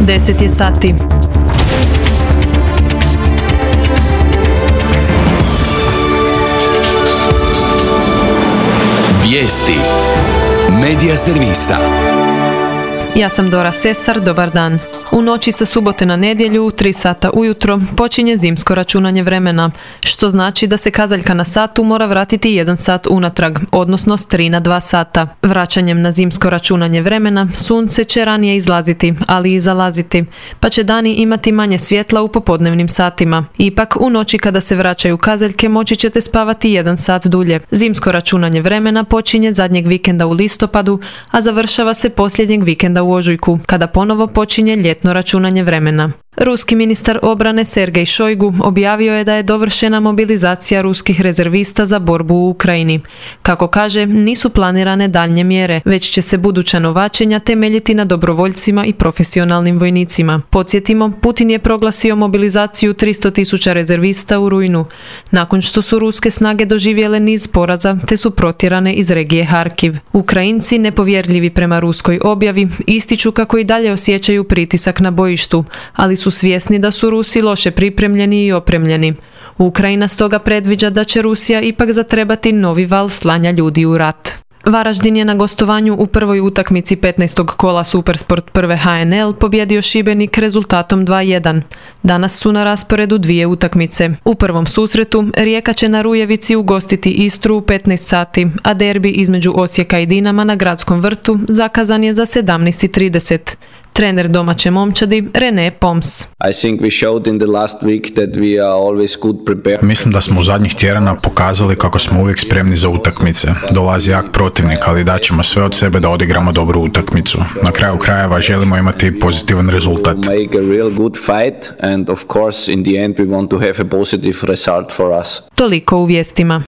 10 je sati. Vijesti Medija servisa. Ja sam Dora Sesar, dobar dan. U noći sa subote na nedjelju u 3 sata ujutro počinje zimsko računanje vremena, što znači da se kazaljka na satu mora vratiti 1 sat unatrag, odnosno s 3 na 2 sata. Vraćanjem na zimsko računanje vremena sunce će ranije izlaziti, ali i zalaziti, pa će dani imati manje svjetla u popodnevnim satima. Ipak, u noći kada se vraćaju kazaljke moći ćete spavati 1 sat dulje. Zimsko računanje vremena počinje zadnjeg vikenda u listopadu, a završava se posljednjeg vikenda u ožujku, kada ponovo počinje ljetno računanje vremena. Ruski ministar obrane Sergej Šojgu objavio je da je dovršena mobilizacija ruskih rezervista za borbu u Ukrajini. Kako kaže, nisu planirane daljnje mjere, već će se buduća novačenja temeljiti na dobrovoljcima i profesionalnim vojnicima. Podsjetimo, Putin je proglasio mobilizaciju 300.000 rezervista u rujnu, nakon što su ruske snage doživjele niz poraza te su protjerane iz regije Harkiv. Ukrajinci, nepovjerljivi prema ruskoj objavi, ističu kako i dalje osjećaju pritisak na bojištu, ali su svjesni da su Rusi loše pripremljeni i opremljeni. Ukrajina stoga predviđa da će Rusija ipak zatrebati novi val slanja ljudi u rat. Varaždin je na gostovanju u prvoj utakmici 15. kola Supersport prve HNL pobjedio Šibenik rezultatom 2:1. Danas su na rasporedu 2 utakmice. U prvom susretu Rijeka će na Rujevici ugostiti Istru u 15 sati, a derbi između Osijeka i Dinama na Gradskom vrtu zakazan je za 17:30. Trener domaće momčadi René Poms. Mislim da smo u zadnjih tjedana pokazali kako smo uvijek spremni za utakmice. Dolazi jak protivnik, ali daćemo sve od sebe da odigramo dobru utakmicu. Na kraju krajeva želimo imati pozitivan rezultat. Toliko u vijestima.